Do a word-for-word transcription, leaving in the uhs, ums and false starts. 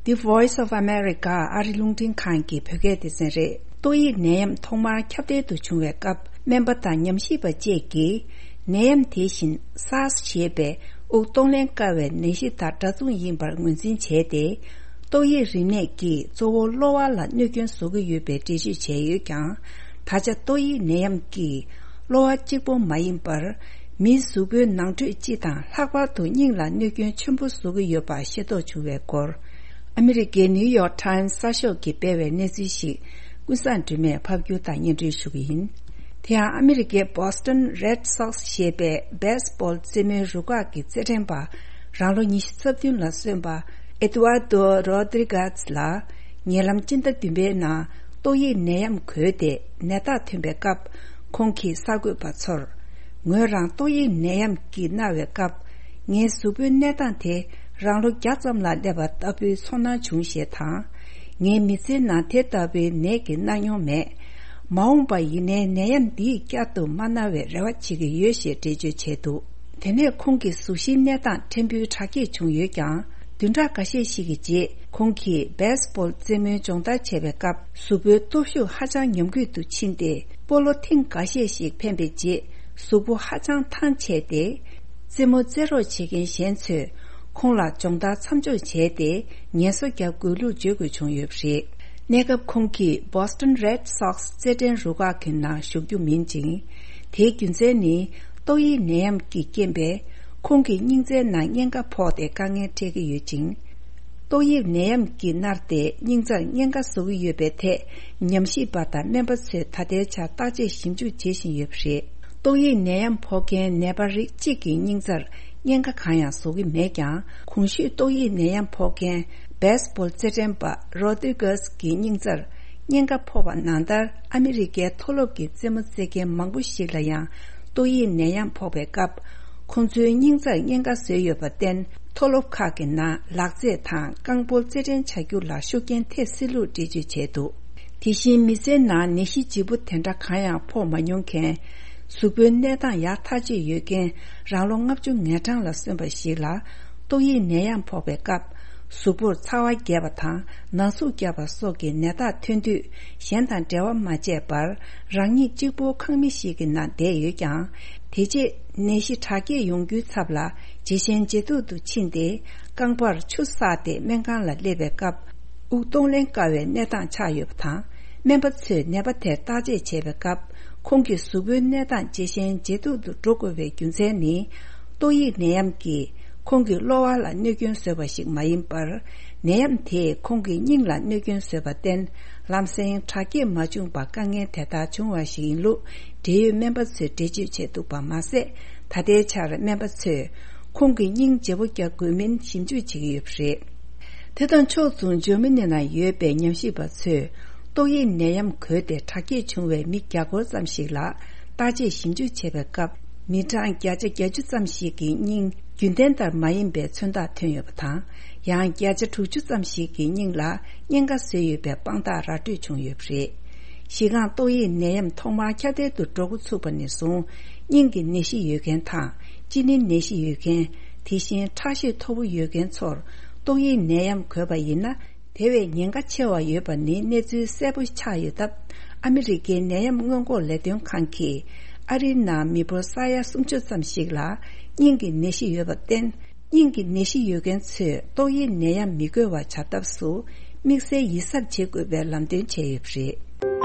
The Voice of America ཨ་རི་རླུང་འཕྲིན་ཁང་གི་བོད་སྐད་སྡེ་ཚན་རེད། ཏོག་དབྱིབས་ནད་ཡམས་ཐོག་མར་ཁྱབ་གདལ་དུ་བྱུང་བའི་སྐབས། སྨན་པ་དང་ཉམས་ཞིབ་པ་བཅས་ཀྱིས། ནད་ཡམས་དེ་བཞིན་སཱར་སི་ཞེས་པའི་དབུགས་གཏོང་ལེན་དཀའ་བའི་ནད་གཞི་དང་འདྲ་མཚུངས་ཡིན་པར་ངོས་འཛིན་བྱས་ཏེ། ཏོག་དབྱིབས་རིམས་ནད་ཀྱིས་གཙོ་བོ་གློ་བ་ལ་གནོད་སྐྱོན་བཟོ་གི་ཡོད་པའི་འགྲེལ་བརྗོད་བྱས་ཡོད་ཀྱང་། ད་ཆ་ཏོག་དབྱིབས་ནད་ཡམས་ཀྱིས་གློ་བ་གཅིག་པོ་མ་ཡིན་པར། མིའི་གཟུགས་པོའི་ནང་ཁྲོད་སྤྱི་དང་ལྷག་པར་དུ་སྙིང་ལ་གནོད་སྐྱོན་ཆེན་པོ་བཟོ་གི་ཡོད་པ་ཤེས་རྟོགས་བྱུང་བའི་སྐོར། ཨ་མི་རི་ཀའི་ནིའུ་ཡོག་ཊའིམ་གསར་ཤོག་གིས་སྤེལ་བའི་གནས་ཚུལ་ཞིག་ཀུན་བཟང་སྒྲོལ་མས་ཕབ་སྒྱུར་དང་སྙན་སྒྲོན་ཞུ་གི་ཡིན། དེ་ཡང་ཨ་མི་རི་ཀའི་Boston Red Sox ཞེས་པའི་བེ་སི་བོལ་རྩེད་མོའི་རུ་ཁག་གི་རྩེད་འགྲན་པ། རང་ལོ་ཉི་ཤུ་རྩ་བདུན་ལ་སོན་པ། Eduardo Rodriguez ལ། ཉེ་ལམ་སྤྱི་ཟླ་བདུན་པའི་ནང་ཏོག་དབྱིབས་ནད་ཡམས་འགོས་ཏེ། ནད་རྟགས་ཐོན་པའི་སྐབས། ཁོང་གིས་གསར་འགོད་པ་ཚོར། ངོས་རང་ཏོག་དབྱིབས་ནད་ཡམས་ཀྱིས་མནར་བའི་སྐབས། ངའི་གཟུགས་པོའི་གནས་སྟངས་དེ་རང་ལོ་བརྒྱ་ཙམ་ལ་སླེབས་པ་ལྟ་བུའི་ཚོར་སྣང་བྱུང་ཞེས་དང་། ངའི་མི་ཚེའི་ནང་དེ་ལྟ་བུའི་ནད་ཀྱིས་མནར་མྱོང་མེད། མ་འོངས་པ་ཡིན་ནའི་ནད་ཡམས་འདིས་བསྐྱར་དུ་མ་མནར་བའི་རེ་བ་བྱེད་ཀྱི་ཡོད་ཞེས་འགྲེལ་བརྗོད་བྱས་འདུག་དེ་ནས་ཁོང་གི་གཟུགས་གཞིའི་གནས་སྟངས་ཕྲན་བུ་དྲག་སྐྱེད་བྱུང་ཡོད་ཀྱང་། བདུན་ཕྲག་འགའ་ཤས་ཤིག་གི་རྗེས། ཁོང་གིས་བེ་སི་བོལ་རྩེད་མོའི་སྦྱོང་བརྡར་བྱས་པའི་སྐབས། གཟུགས་པོའི་སྟོབས་ཤུགས་ཧ་ཅང་ཉམས་རྒུད་དུ་ཕྱིན་ཏེ། སྤོ་ལོ་ཐེངས་འགའ་ཤས་ཤིག་འཕེན་པའི་རྗེས། གཟུགས་པོ་ཧ་ཅང་ཐང་ཆད་དེ། རྩེད་མོ་རྩེ་རོགས་བྱེད་མཁན་གཞན་ཚོས་ཁོང་ལ་སྦྱོང་བརྡར་མཚམས་འཇོག་བྱས་ཏེ། ངལ་གསོ་རྒྱག་དགོས་ལུགས་བརྗོད་དགོས་བྱུང་ཡོད་པ་རེད། གནས་སྐབས་ཁོང་གིས་Boston Red Sox རྩེད་འགྲན་རུ་ཁག་གི་ནང་ཞུགས་རྒྱུ་མིན་ཅིང་། དེའི་རྒྱུ་མཚན་ནི། ཏོག་དབྱིབས་ནད་ཡམས་ཀྱི་རྐྱེན་པས། ཁོང་གི་སྙིང་རྩའི་ནང་གཉན་ཁ་ཕོག་སྟེ་དཀའ་ངལ་འཕྲད་ཀྱི་ཡོད་ཅིང་། ཏོག་དབྱིབས་ནད་ཡམས་ཀྱིས་མནར་ཏེ་སྙིང་རྩར་གཉན་ཁ་བཟོ་གི་ཡོད་པའི་ཐད། ཉམས་ཞིབ་པ་དང་སྨན་པ་ཚོས་ད་ལྟའི་ཆར་བརྟག་དཔྱད་ཞིབ་འཇུག་བྱེད་བཞིན་ཡོད་པ་རེད། ཏོག་དབྱིབས་ནད་ཡམས་ཕོག་མཁན་ནད་པ་རིགས་གཅིག་གི་སྙིང་རྩར་གཉན་ཁ་གང་ཡང་བཟོ་གི་མེད་ཀྱང་། གོང་ཞུས་ཏོག་དབྱིབས་ནད་ཡམས་ཕོག་མཁན་བེ་སི་བོལ་རྩེད་འགྲན་པ་རོ་ཏི་གྷ་སི་གི་སྙིང་རྩར་གཉན་ཁ་ཕོག་པ་ནང་ལྟར། ཨ་མི་རི་ཀའི་མཐོ་སློབ་ཀྱི་རྩེད་མོ་རྩེ་མཁན་མང་པོ་ཞིག་ལ་ཡང་ཏོག་དབྱིབས་ནད་ཡམས་ཕོག་པའི་སྐབས། ཁོང་ཚོའི་སྙིང་རྩར་གཉན་ཁ་བཟོས་ཡོད་པར་བརྟེན། མཐོ་སློབ་ཁག་གི་ནང་ལག་རྩེད་དང་རྐང་སྤོལ་རྩེད་འགྲན་བྱ་རྒྱུ་ལ་ཤུགས་རྐྱེན་ཐེབས་སྲིད་ལུགས་འགྲེལ་བརྗོད་བྱས་འདུག་དེ་བཞིན་མི་ཚེའི་ནང་ནད་གཞི་ལྗིད་པོ་དེ་འདྲ་གང་ཡང་ཕོག་མ་མྱོང་མཁན། གཟུགས་པོའི་གནས་སྟངས་ཡག་ཐག་ཆོད་ཡོད་མཁན། རང་ལོ་ལྔ་བཅུ་ང་གྲངས་ལ་སོན་པ་ཞིག་ལ། ཏོག་དབྱིབས་ནད་ཡམས་ཕོག་པའི་སྐབས། གཟུགས་པོར་ཚ་བ་རྒྱས་པ་དང་ན་ཟུག་རྒྱག་པ་སོགས་ཀྱི་ནད་རྟགས་ཐོན་དུས། གཞན་དང་འབྲེལ་བ་མ་བྱས་པར། རང་ཉིད་གཅིག་པུ་ཁང་མིག་ཞིག་གི་ནང་བསྡད་ཡོད་ཀྱང་། དེ་རྗེས་ནད་གཞི་དྲག་སྐྱེད་ཡོང་རྒྱུའི་ཚབ་ལ། ཇེ་ཞན་ཇེ་སྡུག་ཏུ་ཕྱིན་ཏེ། རྐང་པར་ཆུ་བསགས་ཏེ་སྨན་ཁང་ལ་སླེབས་པའི་སྐབས། དབུགས་གཏོང་ལེན་དཀའ་བའི་གནས་སྟངས་ཆགས་ཡོད་པ་དང་། སྨན་པ་ཚོས་ནད་པ་དེར་བརྟག་དཔྱད་བྱས་པའི་སྐབས། ཁོང་གི་གཟུགས་པོའི་གནས་སྟངས་ཇེ་ཞན་ཇེ་སྡུག་ཏུ་འགྲོ་དགོས་པའི་རྒྱུ་མཚན་ནི། ཏོག་དབྱིབས་ནད་ཡམས་ཀྱིས་ཁོང་གི་གློ་བ་ལ་གནོད་སྐྱོན་བཟོས་པ་ཞིག་མ་ཡིན་པར། ནད་ཡམས་དེས་ཁོང་གི་སྙིང་ལ་གནོད་སྐྱོན་བཟོས་པར་བརྟེན། ལམ་སེང་དྲག་སྐྱེད་མ་བྱུང་བར་དཀའ་ངལ་དེ་ལྟར་བྱུང་བ་ཞིག་ཡིན་ལུགས། འབྲེལ་ཡོད་སྨན་པ་ཚོས་འགྲེལ་བརྗོད་བྱས་འདུག་པ་མ་ཟད། ད་ལྟའི་ཆར་སྨན་པ་ཚོས་ཁོང་གི་སྙིང་བརྗེ་པོ་རྒྱག་དགོས་མིན་ཞིབ་འཇུག་བྱེད་ཀྱི་ཡོད་པ་རེད། དེ་དང་ཕྱོགས་མཚུངས། འཇར་མ་ནི་ནང་ཡོད་པའི་ཉམས་ཞིབ་པ་ཚོས། ཏོག་དབྱིབས་ནད་ཡམས་འགོས་ཏེ་དྲག་སྐྱེད་བྱུང་བའི་མི་བརྒྱ་སྐོར་ཙམ་ཞིག་ལ། བརྟག་དཔྱད་ཞིབ་འཇུག་བྱས་པའི་སྐབས། མི་གྲངས་བརྒྱ་ཆ་བརྒྱད་ཅུ་ཙམ་ཞིག་གི་སྙིང་རྒྱུན་ལྡན་ལྟར་མ་ཡིན་པའི་མཚོན་རྟགས་ཐོན་ཡོད་པ་དང་། ཡང་བརྒྱ་ཆ་དྲུག་ཅུ་ཙམ་ཞིག་གི་སྙིང་ལ་གཉན་ཁ་བཟོས་ཡོད་པའི་དཔང་རྟགས་ར་སྤྲོད་བྱུང་ཡོད་པ་རེད། གཞི་རྐང་ཏོག་དབྱིབས་ནད་ཡམས་ཐོག་མར་ཁྱབ་གདལ་དུ་འགྲོ་འགོ་ཚུགས་པ་ནས་བཟུང་། སྙིང་གི་ནད་གཞི་ཡོད་མཁན་དང་། གཅིན་སྙི་ནད་གཞི་ཡོད་མཁན། དེ་བཞིན་ཁྲག་ཤེད་མཐོ་པོ་ཡོད་མཁན་ཚོར། ཏོག་དབྱིབས་ནད་ཡམས་འགོས་པ་ཡིན་ན། དེ་བས་ཉེན་ཁ་ཆེ་བ་ཡོད་པ་ནི་གནས་ཚུལ་གསལ་པོ་ཆགས་ཡོད་སྟབས། ཨ་མི་རི་ཀའི་ནད་ཡམས་སྔོན་འགོག་ལས་དོན་ཁང་གིས། ཨ་རིའི་ནང་མི་འབོར་ས་ཡ་སུམ་ཅུ་ཙམ་ཞིག་ལ། སྙིང་གི་ནད་གཞི་ཡོད་པར་བརྟེན། སྙིང་གི་ནད་གཞི་ཡོད་མཁན་ཚོས་ཏོག་དབྱིབས་ནད་ཡམས་མི་འགོས་པ་བྱ་ཐབས་སུ། དམིགས་བསལ་ཡིད་གཟབ་བྱེད་དགོས་པའི་ལམ་སྟོན་བྱས་ཡོད་པ་རེད།